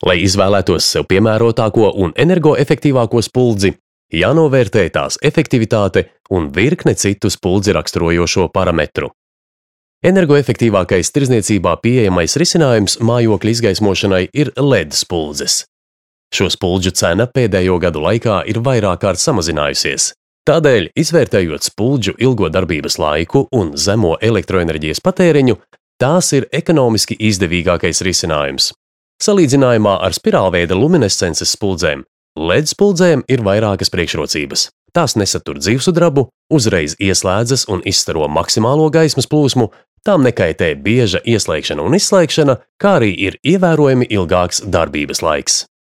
Lai izvēlētos sev piemērotāko un energoefektīvāko spuldzi, jānovērtē tās efektivitāte un virkne citu spuldzi raksturojošo parametru. Energoefektīvākais tirdzniecībā pieejamais risinājums mājokļa izgaismošanai ir LED spuldzes. Šo spuldžu cena pēdējo gadu laikā ir vairāk kārt samazinājusies. Tādēļ, izvērtējot spuldžu ilgo darbības laiku un zemo elektroenerģijas patēriņu, tās ir ekonomiski izdevīgākais risinājums. Salīdzinājumā ar spirālveida luminescences spuldzēm, LED spuldzēm ir vairākas priekšrocības. Tās nesatur dzīvsudrabu, uzreiz ieslēdzas un izstaro maksimālo gaismas plūsmu, tām nekaitē bieža ieslēgšana un izslēgšana, kā arī ir ievērojami ilgāks darbības laiks.